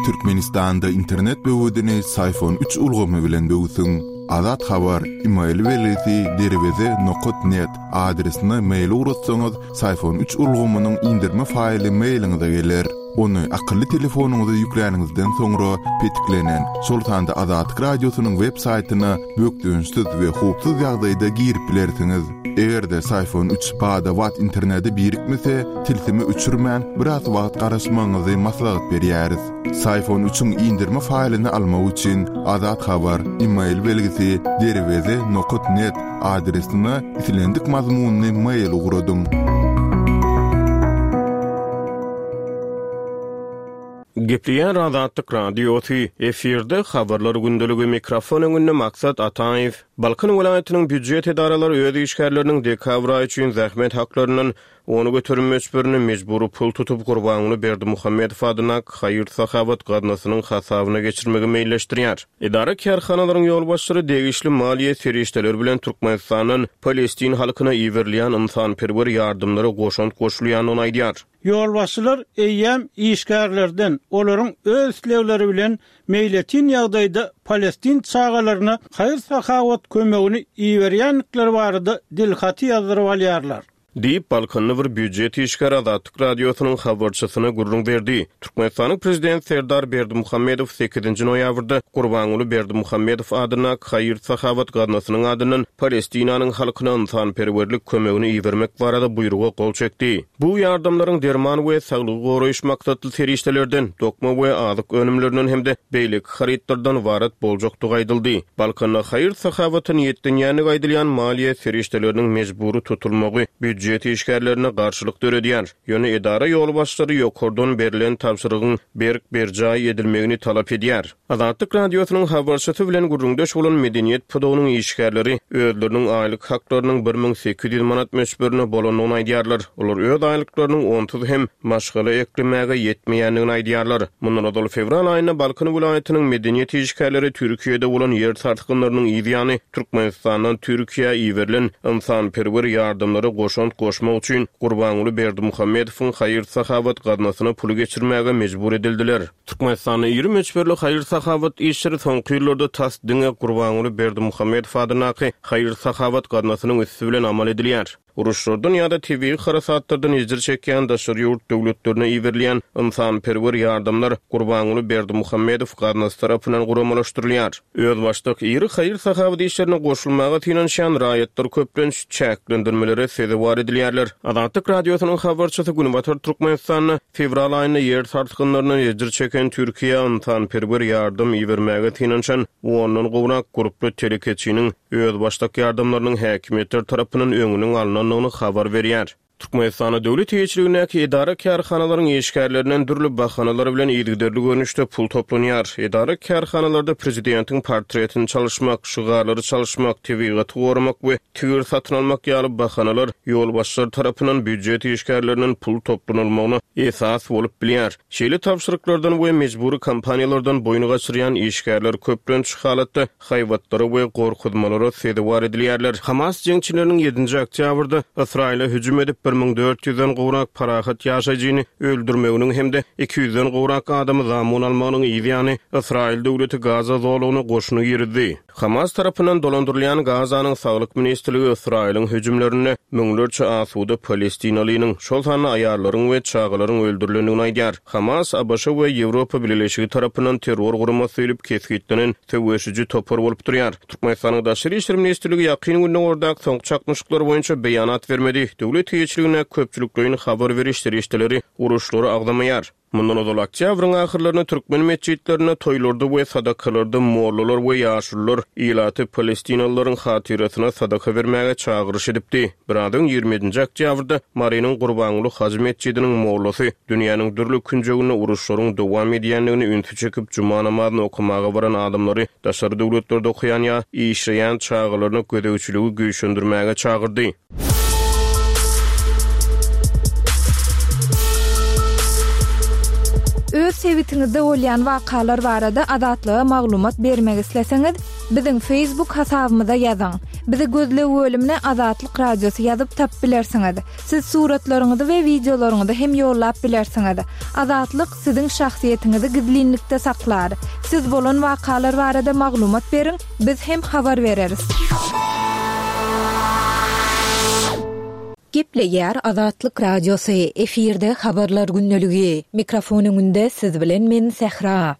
Türkmenistanda internet böwedini Syfon üç ulgamy bilen böwsüň. Azat Habar, email belgisi derweze nokat net adresine mail ugratsaňyz, Syfon üç ulgamynyň indirme faýly mailiňize geler. Ony akylly telefonyňyza ýükläniňizden soňra petiklenen, şol sanda Azatlyk Radiosynyň web saýtyna bökdençsiz we howpsuz ýagdaýda girip bilersiňiz. Eger-de Syfon üç bada-bat internete birikmese, tilsimi öçürmän, biraz wagt garaşmagyňyzy maslahat berýäris. Syfon üçiň indirme faýlyny almak üçin Azat Habar, email belgisi, derweze nokat net adresine islendik mazmunly mail ugradyň. Gepleýär Azatlyk Radiosy, efirde Habarlar gündeligi, mikrofon öňünde Maksat Ataýew. Balkan welaýatynyň býujet edaralary öz işgärleriniň dekabr aýy üçin zähmet haklaryndan 10% möçberinde mejbury pul tutup, Gurbanguly Berdimuhamedow adyndaky haýyr-sahawat gaznasynyň hasabyna geçirmegi meýilleşdirýär. Edara-kärhanalaryň ýolbaşçylary degişli maliýe serişdeleri bilen Türkmenistandan palestin halkyna iberilýän ynsanperwer ýardamlara goşant goşulýandygyny aýdýar. Ýolbaşçylar eýýäm işgärlerden olaryň öz islegleri bilen meýletin ýagdaýda palestin çagalaryna haýyr-sahawat kömegini iberýändikleri barada dilhaty ýazdyryp alýarlar. Diýip, balkanly bir býujet işgäri Azatlyk Radiosynyň habarçysyna gürrüň berdi. Türkmenistanyň Prezidenti Serdar Berdimuhamedow sekizinji noýabrda Gurbanguly Berdimuhamedow adyndaky haýyr-sahawat gaznasynyň adyndan Palestinanyň halkyna ynsanperwerlik kömegini ibermek barada buýruga gol çekdi. Bu ýardamlaryň derman we saglygy goraýyş maksatly serişdelerden, dokma we azyk önümlerinden hem-de beýleki harytlardan ybarat boljakdygy aýdyldy. Balkanda haýyr-sahawata niýetlenýändigi aýdylýan maliýe serişdeleriniň mejbury tutulmagy býujet işgärlerinde garşylyk döredýär. Ýöne edara ýolbaşçylary ýokardan berlen tabşyrygyň berk berjaý edilmegini talap edýär. Azatlyk Radiosynyň habarçysy bilen gürrüňdeş bolan medeniýet pudagynyň işgärleri özleriniň aýlyk haklarynyň 1800 manat möçberinde bolandygyny aýdýarlar. Olar öz aýlyklarynyň onsuz hem maşgala eklemäge ýetmeýändigini aýdýarlar. Mundan ozal fewral aýynda Balkan welaýatynyň medeniýet işgärleri Türkiýede bolan ýer sarsgynlarynyň yz ýany Türkmenistandan Türkiýä iberilen ynsanperwer ýardamlara goşant goşmak üçin Gurbanguly Berdimuhamedowyň haýyr-sahawat gaznasyna puly geçirmäge mejbur edildiler. Türkmenistanda iri möçberli haýyr-sahawat işleri soňky ýyllarda tas diňe Gurbanguly Berdimuhamedow adyndaky haýyr-sahawat gaznasynyň üsti bilen amal edilýär. Uruşlardan ýa-da tebigy harasatlardan ejir çekýän daşary ýurt döwletlerine iberilýän ynsanperwer ýardamlar Gurbanguly Berdimuhamedow gaznasy tarapyndan guramalaşdyrylýar. Özbaşdak iri haýyr-sahawat işlerine goşulmaga synanyşýan raýatlar köplenç çäklendirmelere sezewar edilýärler. Azatlyk Radiosynyň habarçysy Günbatar Türkmenistanda fewral aýynda ýer sarsgynlaryndan ejir çeken Türkiýä ynsanperwer ýardam ibermäge synanyşan ondan gowrak gurply telekeçiniň özbaşdak ýardamlarynyň häkimiýetler tarapyndan öňüniň alnandygyny habar berýär. Türkmenistanda döwlet eýeçiligindäki edara-kärhanalaryň işgärlerinden dürli bahanalar bilen yzygiderli görnüşde pul toplanýar. Edara-kärhanalarda prezidentiň portretini çalyşmak, şygarlary çalyşmak, tebigaty goramak we tigir satyn almak ýaly bahanalar ýolbaşçylar tarapyndan býujet işgärlerinden pul toplanylmagyna esas bolup bilýär. Şeýle tabşyryklardan we mejbury kampaniýalardan boýun gaçyrýan işgärler köplenç halatda haýbatlara we gorkuzmalara sezewar edilýärler. Hamas jeňçileriniň ýedinji oktýabrda Ysraýyla hüjüm edip, 1400 den gowrak parahat ýaşaýjyny öldürmeginiň hem-de 200-den gowrak adamy zamun almagynyň yz ýany, Ysraýyl döwleti Gaza zolagyna goşuny girizdi. Hamas tarapyndan dolandyrylýan Gazanyň Saglyk ministrligi Ysraýylyň hüjümlerinde müňlerçe asuda palestinalynyň, şol sanda aýallaryň we çagalaryň öldürilendigini aýdýar. Hamas ABŞ we Ýewropa Bileleşigi tarapyndan terror guramasy diýlip kesgitlenen söweşiji topar bolup durýar. Türkmenistanyň Daşary işler ministrligi Ýakyn Gündogardaky soňky çaknyşyklar boýunça beýanat bermedi, döwlet eýeçiligindäki köpçülikleýin habar beriş serişdeleri uruşlary agzamaýar. Mundan ozal oktýabryň ahyrlarynda türkmen metjitlerinde toýlarda we sadakalarda mollalar we ýaşulular ilaty palestinalylaryň hatyrasyna sadaka bermäge çagyryş edipdi. Biraz öň 27-nji oktýabrda Marynyň Gurbanguly hajy metjidiniň mollasy dünýäniň dürli künjeginde uruşlaryň dowam edýändigine ünsi çekip, juma namazyny okamaga baran adamlary daşary döwletlerde okaýan ýa işleýän çagalaryna gözegçiligi güýçlendirmäge çagyrdy. Öz sebitiňizde bolýan wakalar barada Azatlyga maglumat bermek isleseňiz,. Biziň Facebook hasabymyza ýazyň. Bizi gözleg bölümine Azatlyk Radiosy ýazyp tapyp bilersiňiz. Siz suratlaryňyzy we wideolaryňyzy hem ýollap bilersiňiz. Azatlyk siziň şahsyýetiňizi gizlinlikde saklar. Siz bolan wakalar barada maglumat beriň, biz hem habar bereris. Gepleýär Azatlyk Radiosy, efirde Habarlar gündeligi. Mikrofon öňünde siz bilen men Sähra.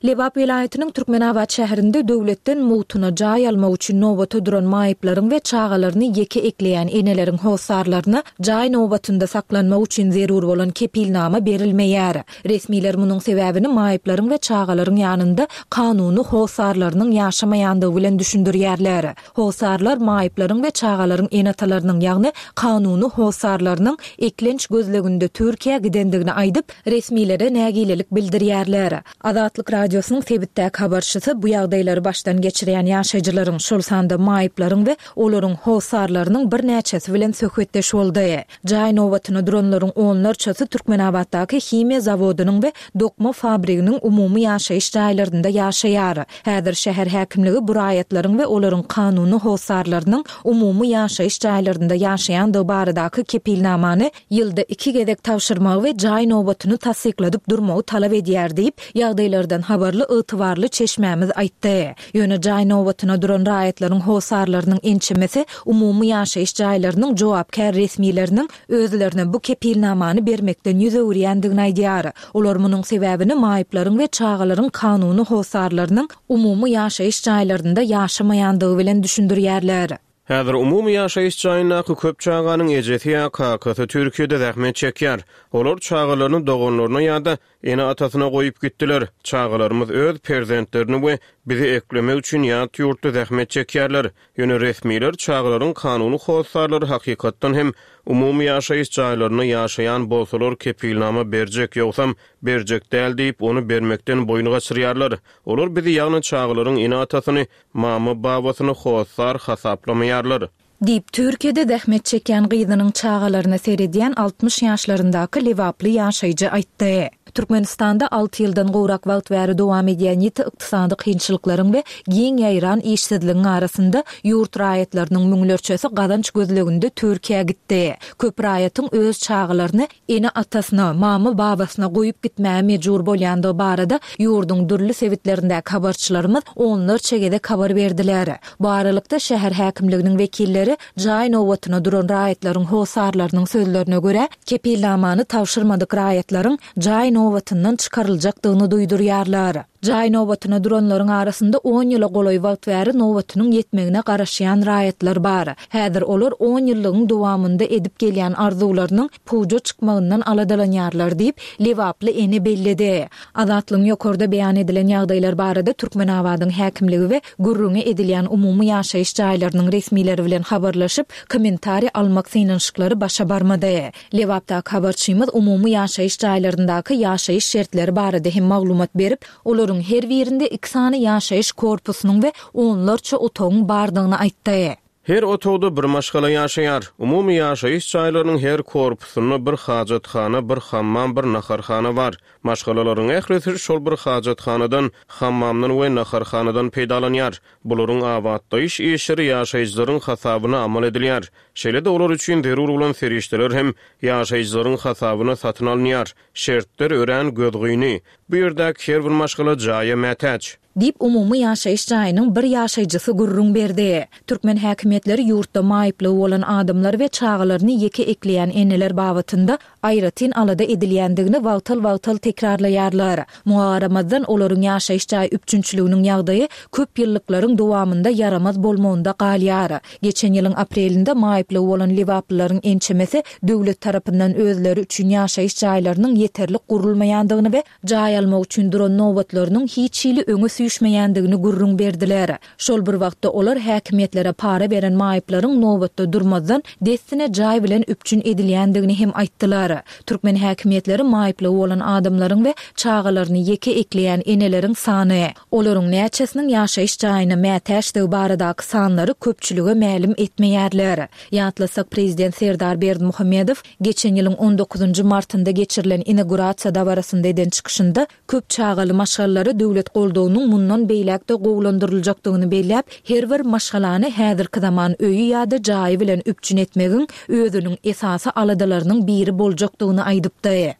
Lebap welaýatynyň Türkmenabat şäherinde döwletden mugtuna jaý almak üçin nobata duran maýyplaryň we çagalaryny ýeke ekleýän eneleriň hossarlaryna jaý nobatynda saklanmak üçin zerur bolan kepilnama berilmeýär. Resmiler munuň sebäbini maýyplaryň we çagalaryň ýanynda kanuny hossarlarynyň ýaşamaýandygy bilen düşündirýärler. Hossarlar maýyplaryň we çagalaryň ene-atalarynyň, ýagny kanuny hossarlarynyň eklenç gözleginde Türkiýä gidendigini aýdyp, resmilere nägilelik bildirýärler. Azatlyk Radiosynyň sebitdäki habarçysy bu ýagdaýlary başdan geçirýän ýaşaýjylaryň, şol sanda maýyplaryň we olaryň hossarlarynyň birnäçesi bilen söhbetdeş boldy. Jaý nobatyna duranlaryň onlarçasy Türkmenabatdaky himiýa zawodynyň we dokma fabriginiň umumy ýaşaýyş jaýlarynda ýaşaýar. Häzir şäher häkimligi bu raýatlaryň we olaryň kanuny hossarlarynyň umumy ýaşaýyş jaýlarynda ýaşaýandygy baradaky kepilnamany ýylda iki gezek tabşyrmagy we jaý nobatyny tassykladyp durmagy talap edýär diýip, ýagdaýlardan habarly ygtybarly çeşmämiz aýtdy. Ýöne jaý nobatyna duran raýatlaryň hossarlarynyň ençemesi umumy ýaşaýyş jaýlarynyň jogapkär resmileriniň özlerine bu kepilnamany bermekden ýüz öwürýändigini aýdýar. Olar munuň sebäbini maýyplaryň we çagalaryň kanuny hossarlarynyň umumy ýaşaýyş jaýlarynda ýaşamaýandygy bilen düşündirýärler. Häzir umumy ýaşaýyş jaýyndaky köp çaganyň ejesi ýa kakasy Türkiýede zähmet çekýär. Olar çagalaryny doganlaryna ýa-da ene-atasyna goýup gitdiler. Çagalarymyz öz perzentlerini we bizi eklemek üçin ýat ýurtda zähmet çekýärler. Ýöne resmiler çagalaryň kanuny hossarlary hakykatdan hem umumy ýaşaýyş jaýlarynda ýaşaýan bolsalar kepilnama berjek, ýogsam berjek däl diýip, ony bermekden boýun gaçyrýarlar. Olar bizi, ýagny çagalaryň ene-atasyny, mama-babasyny hossar hasaplamaýarlar. Diýip, Türkiýede zähmet çekýän gyzynyň çagalaryna seredýän 60 ýaşlaryndaky lebaply ýaşaýjy aýtdy. Türkmenistanda alty ýyldan gowrak wagt bäri dowam edýän ýiti ykdysady kynçylyklaryň we giň ýaýran işsizligiň arasynda ýurt raýatlarynyň müňlerçesi gazanç gözleginde Türkiýä gitdi. Köp raýatyň öz çagalaryny ene-atasyna, mama-babasyna goýup gitmäge mejbur bolýandygy barada ýurduň dürli sebitlerindäki habarçylarymyz onlarça gezek habar berdiler. Bu aralykda, şäher häkimliginiň wekilleri jaý nobatyna duran raýatlaryň hossarlarynyň sözlerine görä, kepilnamany tabşyrmadyk raýatlaryň jaý nobatyndan çykaryljakdygyny duýdurýarlar. Jaý nobatyna duranlaryň arasynda on ýyla golaý wagt bäri nobatynyň ýetmegine garaşýan raýatlar bar. Häzir olar on ýyllygyň dowamynda edip gelýän arzuwlarynyň puja çykmagyndan aladalanýarlar diýip, lebaply ene belledi. Azatlygyň ýokarda beýan edilen ýagdaýlar barada Türkmenabadyň häkimligi we gürrüňi edilýän umumy ýaşaýyş jaýlarynyň resmileri bilen habarlaşyp, kommentariý almak synanyşyklary başa barmady. Lebapdaky habarçymyz umumy ýaşaýyş jaýlaryndaky ýaşaýyş şertleri barada hem maglumat berip, olaryň her birinde iki sany ýaşaýyş korpusynyň we onlarça otagyň bardygyny aýtdy. Her otagda bir maşgala ýaşaýar. Umumy ýaşaýyş jaýlarynyň her korpusynda bir hajathana, bir hammam, bir naharhana bar. Maşgalalaryň ählisi şol bir hajathanadan, hammamdan we naharhanadan peýdalanýar. Bularyň abatlaýyş işleri ýaşaýjylaryň hasabyna amal edilýär. Şeýle-de olar üçin zerur bolan serişdeler hem ýaşaýjylaryň hasabyna satyn alynýar. Şertler örän gözgyny. Bu ýerdäki her bir maşgala jaýa mätäç. Diýip, umumy ýaşaýyş jaýynyň bir ýaşaýjysy gürrüň berdi. Türkmen häkimiýetleri ýurtda maýyplygy bolan adamlar we çagalaryny ýeke ekleýän eneler babatynda aýratyn alada edilýändigini wagtal-wagtal tekrarlaýarlar. Muňa garamazdan, olaryň ýaşaýyş jaý üpjünçiliginiň ýagdaýy köp ýyllyklaryň dowamynda ýaramaz bolmagynda galýar. Geçen ýylyň aprelinde maýyplygy bolan lebaplylaryň ençemesi döwlet tarapyndan özleri üçin ýaşaýyş jaýlarynyň ýeterlik gurulmaýandygyny we jaý almak üçin duran nobatlarynyň hiç hili öňe süýşmeýändigini gürrüň berdiler. Şol bir wagtda, olar häkimiýetlere para beren maýyplaryň nobatda durmazdan, dessine jaý bilen üpjün edilýändigini hem aýtdylar. Türkmen häkimiýetleri maýyplygy bolan adamlaryň we çagalaryny ýeke ekleýän eneleriň sany, olaryň näçesiniň ýaşaýyş jaýyna mätäçdigi baradaky sanlary köpçülige mälim etmeýärler. Ýatlasak, prezident Serdar Berdimuhamedow geçen ýylyň on dokuzynjy martynda geçirilen inagurasiýa dabarasynda eden çykyşynda Köp çagaly maşgalalara döwlet goldawynyň. mundan beýläk-de gowulandyryljakdygyny belläp, her bir maşgalany häzirki zaman öýi ýa-da jaýy bilen üpjün etmegiň özüniň esasy aladalarynyň biri boljakdygyny aýdypdy.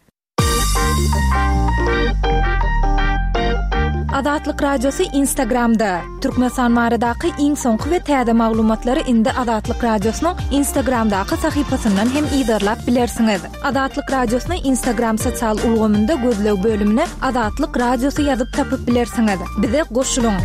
Azatlyk Radiosy Instagramda, Türkmenistan baradaky iň soňky we täze maglumatlary indi Azatlyk Radiosynyň Instagramdaky sahypasyndan hem yzarlap bilersiňiz. Azatlyk Radiosyny Instagram sosial ulgamynda gözleg bölümine Azatlyk Radiosy ýazyp tapyp bilersiňiz. Bize goşulyň!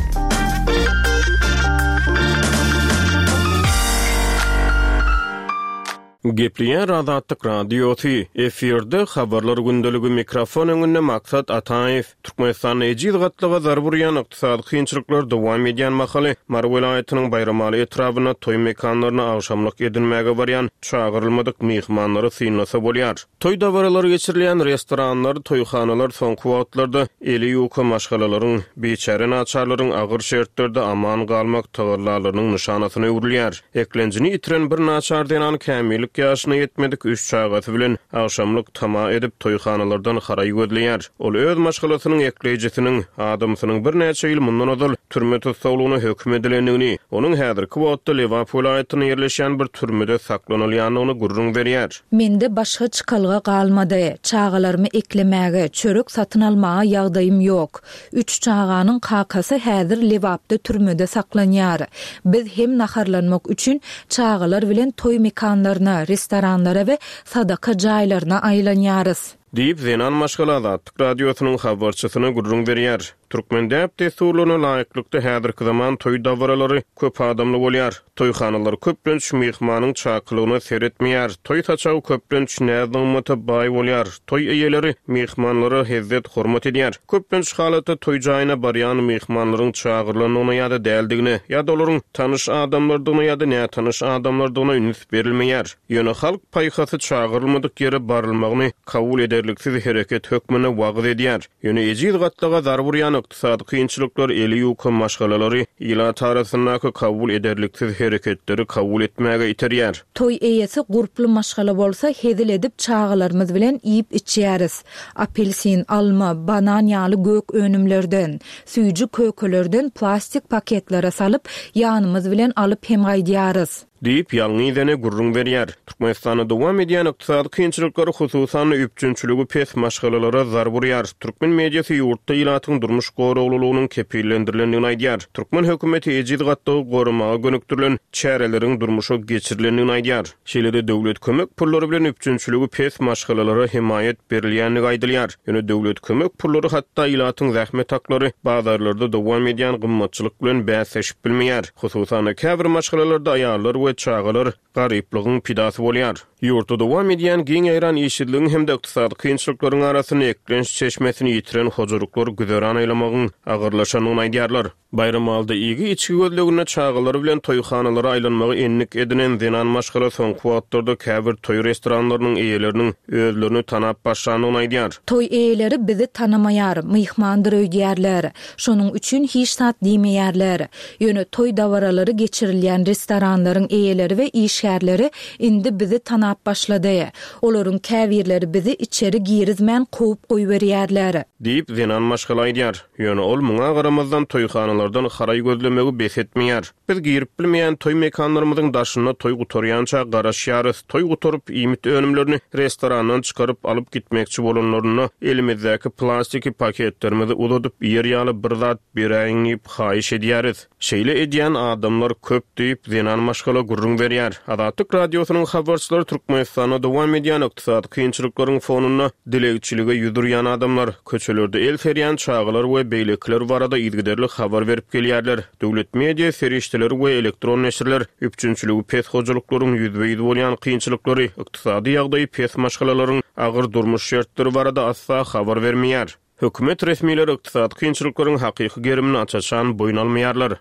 Gepleýär Azatlyk Radiosy, efirde Habarlar gündeligi mikrofon öňünde Maksat Ataýew. Türkmenistanda ejiz gatlaga zarba urýan ykdysady kynçylyklar dowam edýän mahaly, Mary welaýatynyň Baýramaly etrabynda toý mekanlaryna agşamlyk edinmäge barýan çagyrylmadyk myhmanlary synlasa bolýar. Toý dabaralary geçirilýän restoranlar, toýhanalar soňky wagtlarda eli ýuka maşgalalaryň, biçäre naçarlaryň agyr şertlerde aman galmak tagallalarynyň nyşanasyna öwrülýär. Eklenjini ýitiren bir naçar zenan kämillik ýaşyna ýetmedik üç çagasy bilen agşamlyk tama edip, toýhanalardan haraý gözleýär. Ol öz maşgalasynyň ekleýjisiniň, adamsynyň birnäçe ýyl mundan ozal türme tussaglygyna höküm edilendigini, onuň häzirki wagtda Lebap welaýatynda ýerleşýän bir türmede saklanylýandygyny gürrüň berýär. Mende başga çykalga galmady. Çagalarymy eklemäge, çörek satyn almaga ýagdaýym ýok. Üç çaganyň kakasy häzir Lebapda türmede saklanýar. Biz hem naharlanmak üçin çagalar bilen toý mekanlaryna, restoranlara we sadaka jaýlaryna aýlanýarys. Diýip, zenan maşgala Azatlyk Radiosynyň habarçysyna gürrüň berýär. Türkmen däp-dessurlaryna laýyklykda, häzirki zaman toý dabaralary köp adamly bolýar. Toýhanalar köplenç myhmanyň çakylygyna seretmeýär. Toý saçagy köplenç näz-nygmata baý bolýar. Toý eýeleri myhmanlara hezzet-hormat edýär. Köplenç halatda toý jaýyna barýan myhmanlaryň çagyrylandygyna ýa-da däldigine, ýa-da olaryň tanyş adamlardygyna ýa-da nätanyş adamlardygyna üns berilmeýär. Ýöne halk paýhasy çagyrylmadyk ýere barylmagyny kabul ederliksiz hereket hökmünde wagyz edýär. Ýöne ejiz gatlaga zarba urýan ykdysady kynçylyklar eli ýuka maşgalalary ilat arasyndaky kabul ederliksiz hereketleri kabul etmäge iterýär. Toý eýesi gurply maşgala bolsa hezil edip çagalarymyz bilen iýip-içýäris. Apelsin, alma, banan ýaly gök önümlerden, süýji kökelerden plastik paketlere salyp, ýanymyz bilen alyp hem gaýdýarys. Diýip, ýalňyz ene gürrüň berýär. Türkmenistanda dowam edýän ykdysady kynçylyklar, hususan-da, üpjünçiligi pes maşgalalara zarba urýar. Türkmen mediasy ýurtda ilatyň durmuş goraglylygynyň kepillendirilendigini aýdýar. Türkmen hökümeti ejiz gatlagy goramaga gönükdirilen çäreleriň durmuşa geçirilendigini aýdýar. Şeýle-de döwlet kömek pullary bilen üpjünçiligi pes maşgalalara hemaýat berilýändigi aýdylýar. Ýöne döwlet kömek pullary hatda ilatyň zähmet haklary bazarlarda dowam edýän gymmatçylyk bilen bäsleşip bilmeýär. Hususan-da, käbir maşgalalarda aýallar we çagalar garyplygyň pidasy bolýar. Ýurtda dowam edýän giň ýaýran işsizligiň hem-de ykdysady kynçylyklaryň arasynda eklenç çeşmesini ýitiren hojalyklar güzeran aýlamagyň agyrlaşandygyny aýdýarlar. Baýramalyda iýgi-içgi gözleginde çagalary bilen toýhanalara aýlanmagy endik edinen zenan maşgala soňky wagtlarda käbir toý restoranlarynyň eýeleriniň özlerini tanap başlandygyny aýdýar. Toý eýeleri bizi tanamaýar, myhmandyr öýdýärler. Şonuň üçin hiç zat diýmeýärler. Ýöne toý dabaralary geçirilýän restoranlaryň eýeleri we işgärleri indi bizi tanap başlady. Olaryň käbirleri bizi içeri girizmän kowup goýberýärler. Diýip, zenan maşgala aýdýar. Ýöne ol muňa garamazdan toýhanalardan haraý gözlemegi bes etmeýär. Biz girip bilmeýän toý mekanlarymyzyň daşynda toý gutarýança garaşýarys. Toý gutaryp, iýmit önümlerini restorandan çykaryp alyp gitmekçi bolanlarynda elimizdäki plastiki paketlerimizi uzadyp, iýer ýaly bir zat beräýiň diýip haýyş edýäris. Şeýle edýän adamlar köp diýip, zenan maşgala gürrüň berýär. Azatlyk Radiosynyň habarçylary Türkmenistanda dowam edýän ykdysady kynçylyklaryň fonunda dilegçilige ýüz urýan adamlar, köçelerde el serýän çagalar we beýlekiler barada yzygiderli habar berip gelýärler. Döwlet media serişdeleri we elektron neşirler üpjünçiligi pes hojalyklaryň ýüzbe-ýüz bolýan kynçylyklary, ykdysady ýagdaýy pes maşgalalaryň agyr durmuş şertleri barada asla habar bermeýär. Hökümet resmileri ykdysady kynçylyklaryň hakyky gerimini aç-açan boýun almaýarlar.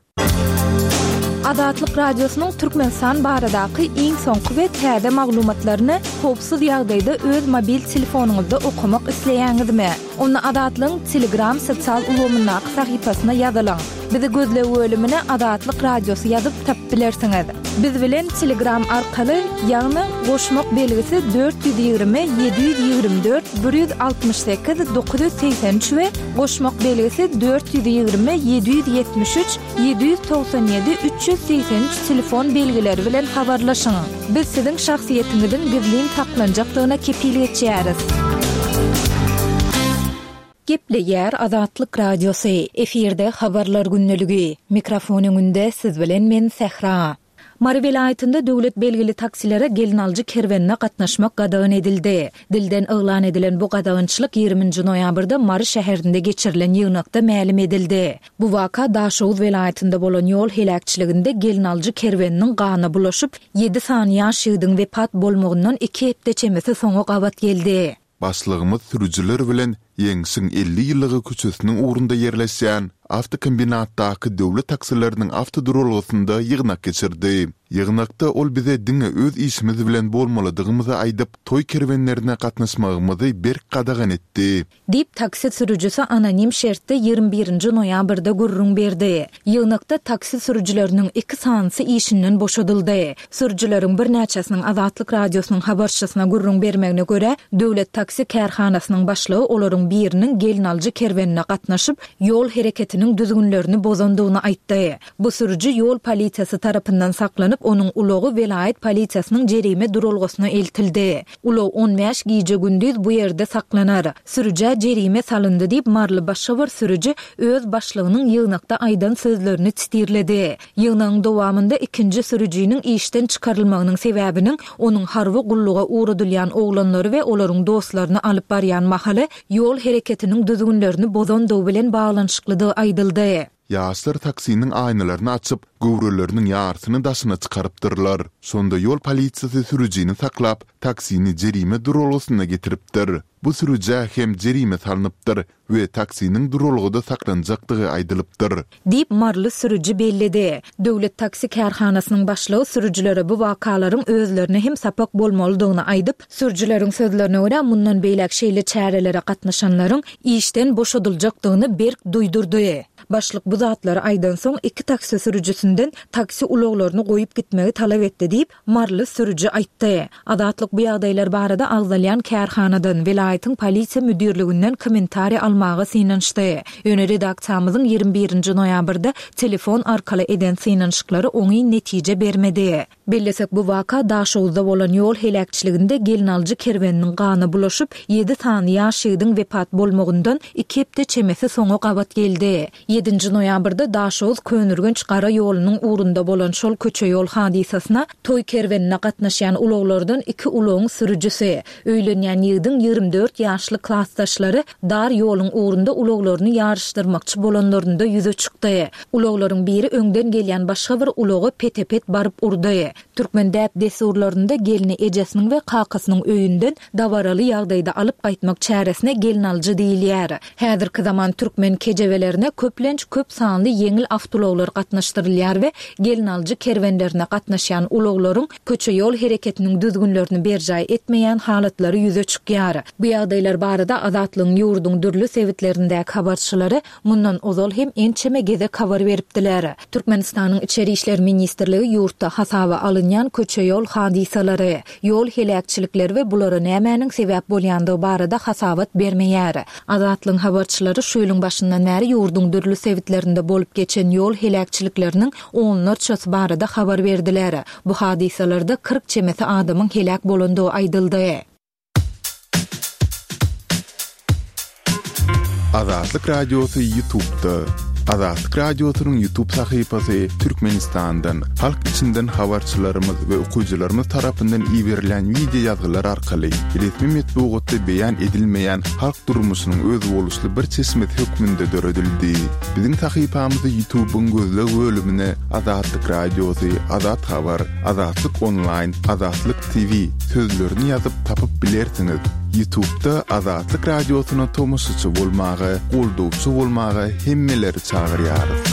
Azatlyk Radiosynyň Türkmenistan baradaky iň soňky we täze maglumatlaryny howpsuz ýagdaýda öz mobil telefonyňyzda okamak isleýäňizmi? Onda Azatlygyň Telegram sosial ulgamyndaky sahypasyna ýazylyň. Bizi gözleg bölümine Azatlyk Radiosy ýazyp tapyp bilersiňiz. Biz bilen Telegram arkaly, ýagny goşmak belgisi 420 724 168 983 we goşmak belgisi 420 773 797 383 telefon belgileri bilen habarlaşyň. Biz siziň şahsyýetiňiziň gizlin saklanjakdygyna kepil geçýäris. Gepleýär Azatlyk Radiosy, efirde Habarlar gündeligi. Mikrofon öňünde siz bilen men Sähra. Mary welaýatynda döwlet belgili taksilere gelnaljy kerwenine gatnaşmak gadagan edildi. Dilden yglan edilen bu gadagançylyk ýigrimi nji noýabrda Mary şäherinde geçirilen ýygnakda mälim edildi. Bu waka Daşoguz welaýatynda bolan ýol heläkçiliginde gelnaljy kerweniniň gana bulaşyp, ýedi sany ýaş ýigidiň wepat bolmagyndan iki hepde çemesi soňa gabat geldi. Başlygymyz sürüjiler bilen Ýeňşiň 50 ýyllygy köçesiniň ugrunda ýerleşýän awtokombinatdaky döwlet taksileriniň awtoduralgasynda ýygnak geçirdi. Ýygnakda ol bize diňe öz işimiz bilen bolmalydygymyzy aýdyp, toý kerwenlerine gatnaşmagymyzy berk gadagan etdi. Diýip, taksi sürüjisi anonim şertde 21 nji noýabrda gürrüň berdi. Ýygnakda taksi sürüjileriniň iki sanysy işinden boşadyldy. Sürüjileriň birnäçesiniň Azatlyk Radiosynyň habarçysyna gürrüň bermegine görä, döwlet taksi kärhanasynyň başlygy olaryň biriniň gelnaljy kerwenine gatnaşyp, ýol hereketiniň düzgünlerini bozandygyny aýtdy. Bu sürüji ýol polisiýasy tarapyndan saklanyp, onuň ulagy welaýat polisiýasynyň jerime duralgasyna eltildi. Ulag on bäş gije-gündiz bu ýerde saklanar. Sürüjä jerime salyndy diýip, maryly başga bir sürüji öz başlygynyň ýygnakda aýdan sözlerini titirledi. Ýygnagyň dowamynda ikinji sürüjiniň işden çykarylmagynyň sebäbiniň onuň harby gulluga ugradylýan oglanlary we olaryň dostlaryny alyp barýan mahaly ýol hereketiniň düzgünlerini bozandygy bilen baglanyşyklydygy aýdyldy. Ýaşlar taksiniň aýnalaryny açyp, göwreleriniň ýarysyny daşyna çykarypdyrlar. Şonda ýol polisiýasy sürüjini saklap, taksini jerime duralgasyna getiripdir. Bu sürüjä hem jerime salnypdyr we taksiniň duralgada saklanjakdygy aýdylypdyr. Diýip, maryly sürüji belledi. Döwlet taksi kärhanasynyň başlygy sürüjilere bu wakalaryň özlerine hem sapak bolmalydygyny aýdyp, sürüjileriň sözlerine görä, mundan beýläk şeýle çärelere gatnaşanlaryň işden boşadyljakdygyny berk duýdurdy. Başlyk bu zatlary aýdansoň, iki taksi sürüjisinden taksi ulaglaryny goýup gitmegi talap etdi diýip, maryly sürüji aýtdy. Azatlyk bu ýagdaýlar barada agzalýan kärhanadan, welaýatyň polisiýa müdirliginden kommentariý almaga synanyşdy. Ýöne redaksiýamyzyň 21 nji noýabrda telefon arkaly eden synanyşyklary oňyn netije bermedi. Bellesek, bu waka Daşoguzda bolan ýol heläkçiliginde gelnaljy kerweniniň gana bulaşyp, ýedi sany ýaş ýigidiň wepat bolmagyndan iki hepde çemesi soňa gabat geldi. Ýedinji noýabrda Daşoguz-Köneürgenç gara ýolunyň ugrunda bolan şol köçe-ýol hadysasyna toý kerwenine gatnaşýan ulaglardan iki ulagyň sürüjisi, öýlenýän ýigidiň 24 ýaşly klasdaşlary dar ýoluň ugrunda ulaglaryny ýaryşdyrmakçy bolanlarynda ýüze çykdy. Ulaglaryň biri öňden gelýän başga bir ulaga pete-pet baryp urdy. Türkmen däp-dessurlarynda gelni ejesiniň we kakasynyň öýünden dabaraly ýagdaýda alyp gaýtmak çäresine gelnaljy diýilýär. Häzirki zaman türkmen kejebelerine köplenç köp sanly ýeňil awtoulaglar gatnaşdyrylýar we gelnaljy kerwenlerine gatnaşýan ulaglaryň köçe-ýol hereketiniň düzgünlerini berjaý etmeýän halatlary ýüze çykýar. Bu ýagdaýlar barada Azatlygyň ýurduň dürli sebitlerindäki habarçylary Mundan ozal hem ençeme gezek habar beripdiler. Türkmenistanyň Içeri işler ministrligi ýurtda hasaba alynýan köçe-ýol hadysalary, ýol heläkçilikleri we bulara nämäniň sebäp bolýandygy barada hasabat bermeýär. Azatlygyň habarçylary şu ýylyň başyndan bäri ýurduň dürli sebitlerinde bolup geçen ýol heläkçilikleriniň onlarçasy barada habar berdiler. Bu hadysalarda 40 çemesi adamyň heläk bolandygy aýdyldy. Azatlyk Radiosy YouTube'da. Azatlyk Radiosynyň YouTube sahypasy Türkmenistandan, halk içinden habarçylarymyz we okyjylarymyz tarapyndan iberilen wideo ýazgylar arkaly resmi metbugatda beýan edilmeýän halk durmuşynyň özboluşly bir çeşmesi hökmünde döredildi. Biziň sahypamyzy YouTube'yň gözleg bölümine Azatlyk Radiosy, Azat Habar, Azatlyk Onlaýn, Azatlyk TV sözlerini ýazyp tapyp bilersiňiz. Ýutubda Azatlyk Radiosyna tomaşaçy bolmaga, goldawçy bolmaga hemmeleri çagyrýarys.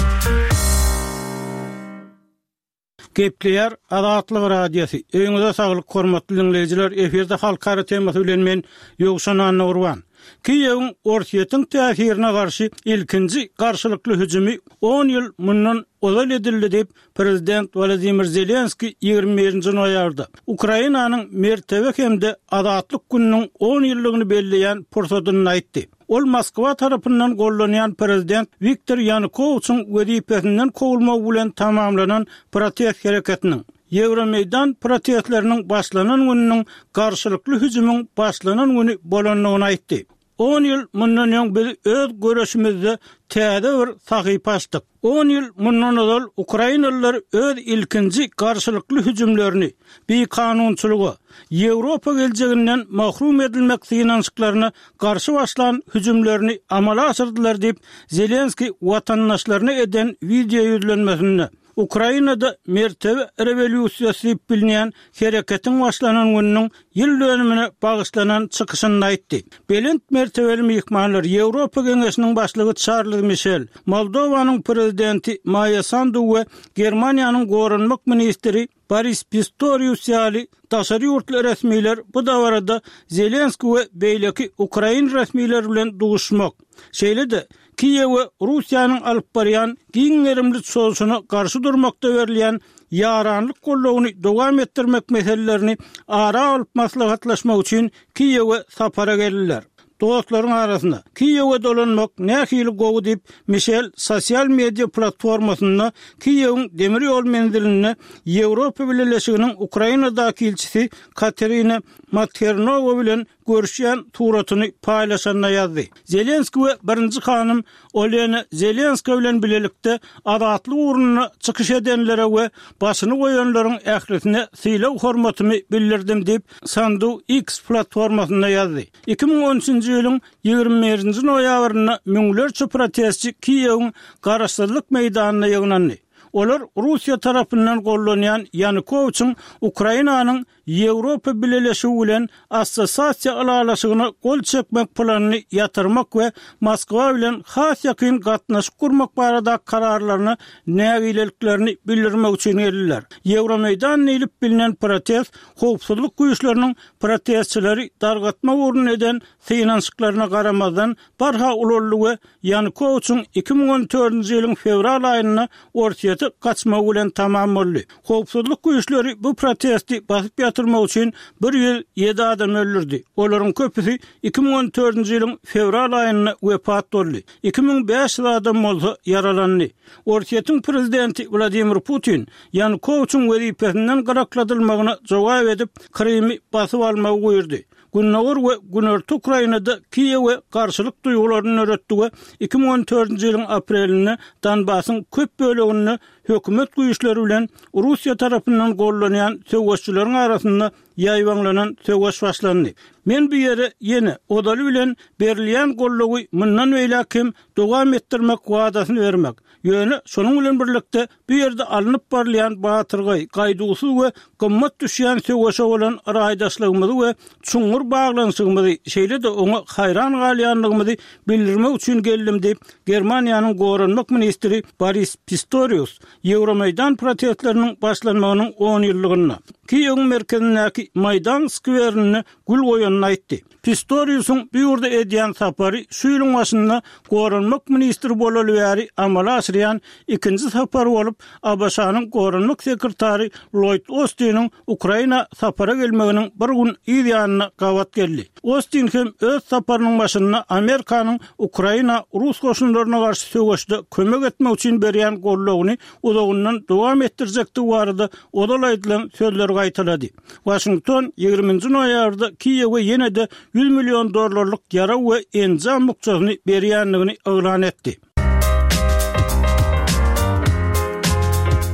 Gepleýär Azatlyk Radiosy. Öýüňize saglyk hormatly diňleýjiler, efirde halkara temasy bilen men Ýowşan Annagurban. Kiýewiň Orsýetiň täsirine garşy ilkinji garşylykly hüjümi on ýyl mundan ozal edildi diýip, prezident Wolodymyr Zelenskiý 21-nji noýabrda, Ukrainanyň Mertebe hem-de Azatlyk gününiň on ýyllygyny belleýän pursadynda aýtdy. Ol Moskwa tarapyndan gollanýan prezident Wiktor Ýanukowiçiň wezipesinden kowulmagy bilen tamamlanan protest hereketiniň, Ýewromeýdan protestleriniň başlanan gününiň garşylykly hüjümiň başlanan güni bolandygyny aýtdy. On ýyl mundan öň biz öz göreşimizde täze bir sahypa açdyk. On ýyl mundan ozal ukrainalylar öz ilkinji garşylykly hüjümlerini, bikanunçylyga, Ýewropa geljeginden mahrum edilmek synanyşyklaryna garşy başlan hüjümlerini amala aşyrdylar diýip, Zelenskiý watandaşlaryna eden wideo ýüzlenmesinde Ukrainada mertebe rewolýusiýasy diýip bilinýän hereketiň başlanan gününiň ýyl dönümine bagyşlanan çykyşynda aýtdy. Belent mertebeli myhmanlar Ýewropa Geňeşiniň başlygy Çarlz Mişel, Moldowanyň Prezidenti Maýa Sandu we Germaniýanyň goranmak ministri Boris Pistorius ýaly daşary ýurtly resmiler bu dabarada Zelenskiý we beýleki ukrain resmileri bilen duşmak, şeýle-de Kiýewe Russiýanyň alyp barýan giň gerimli çozuşyna garşy durmakda berilýän ýaranlyk goldawyny dowam etdirmek meselelerini ara alyp maslahatlaşmak üçin Kiýewe sapara geldiler. Dostlaryň arasynda Kiýewe dolanmak nähili gowy diýip, Mişel sosial media platformasynda Kiýewiň demir ýol menzilinde Ýewropa Bileleşiginiň Ukrainadaky ilçisi Katerina Mathernowa bilen görüşýän suratyny paýlaşanda ýazdy. Zelenskiý we birinji hanym Olena Zelenska bilen bilelikde azatlyk ugrunda çykyş edenlere we başyny goýanlaryň ählisine sylag-hormatymy bildirdim diýip, Sandu X platformasynda ýazdy. 2013-nji ýylyň 21-nji noýabrynda müňlerçe protestçi Kiýewiň Garaşsyzlyk meýdanynda ýygnandy. Olar Russiýa tarapyndan gollanýan Ýanukowiçiň Ukrainanyň Ýewropa Bileleşigi bilen Assosiasiýa ylalaşygyna gol çekmek planyny ýatyrmak we Moskwa bilen has ýakyn gatnaşyk gurmak baradaky kararlaryna nägileliklerini bildirmek üçin geldiler. Ýewromeýdan diýlip bilinen protest howpsuzlyk güýçleriniň protestçileri dargatmak ugrunda eden synanyşyklaryna garamazdan barha ulaldy we Ýanukowiçiň 2014-nji ýylyň fewral aýynda Orsýete gaçmagy bilen tamam boldy. Howpsuzlyk güýçleri bu protesti basyp ýatyrmak üçin 107 adam öldürdi. Olaryň köpüsi 2014-nji ýylyň fewral aýynda wepat boldy. 2500 adam bolsa ýaralandy. Orsýetiň prezidenti Wladimir Putin Ýanukowiçiň wezipesinden gyrakladylmagyna jogap edip, Krymy basyp almagy buýurdy. Gündogar we Günorta Ukrainada Kiýewe garşylyk duýgularyny döretdi we 2014-nji ýylyň aprelinde Donbasyň köp böleginde hökümet güýçleri bilen Russiýa tarapyndan gollanýan söweşçileriň arasynda ýaýbaňlanan söweş başlandy. Men bu ýere ýene, ozaly bilen, berilýän goldawy mundan beýläk hem dowam etdirmek wadasyny bermek, ýöne şonuň bilen birlikde bu ýerde alnyp barylýan batyrgaý, gaýduwsyz we gymmat düşýän söweşe bolan raýdaşlygymyzy we çuňňur baglanyşygymyzy, şeýle-de oňa haýran galýandygymyzy bildirmek üçin geldim diýip, Germaniýanyň goranmak ministri Boris Pistorius Ýewromeýdan protestleriniň başlanmagynyň on ýyllygynda Kiýewiň merkezindäki Maýdan skwerinde gül goýanyny aýtdy. Pistoriusyň bu ýurda edýän sapary şu ýylyň başynda goranmak ministri bolaly bäri amala aşyrýan ikinji sapary bolup, ABŞ-nyň goranmak sekretary Lloýd Ostiniň Ukraina sapara gelmeginiň bir gün yz ýanyna gabat geldi. Ostin hem öz saparynyň başynda Amerikanyň Ukraina rus goşunlaryna garşy söweşde kömek etmek üçin berýän goldawyny uzagyndan dowam etdirjekdigi barada ozal aýdylan sözleri gaýtalady. Waşington ýigriminji noýabrda Kiýewe ýene-de 100 million dollarlyk ýarag we enjam bukjasyny berýändigini yglan etdi.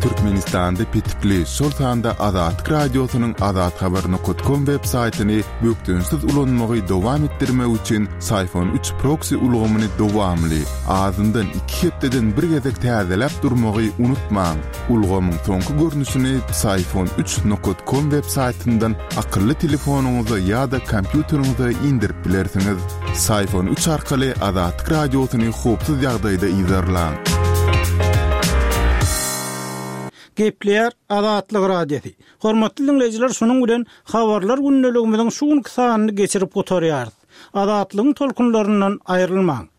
Türkmenistanda petikli, şol sanda Azatlyk Radiosynyň azathabar nokat kom web saýtyny bökdençsiz ulanmagy dowam etdirmek üçin Syfon 3 proksi ulgamyny dowamly, azyndan iki hepdeden bir gezek täzeläp durmagy unutmaň. Ulgamyň soňky görnüşini Psiphon 3 nokat com web saýtyndan akylly telefonyňyza ýa-da kompýuteriňize indirip bilersiňiz. Psiphon 3 arkaly Azatlyk Radiosyny howpsuz ýagdaýda yzarlaň. Gepleýär Azatlyk Radiosy. Hormatly diňleýjiler şunuň bilen Habarlar gündeligimiziň şu günki sanyny geçirip gutarýarys. Azatlygyň tolkunlaryndan aýrylmaň.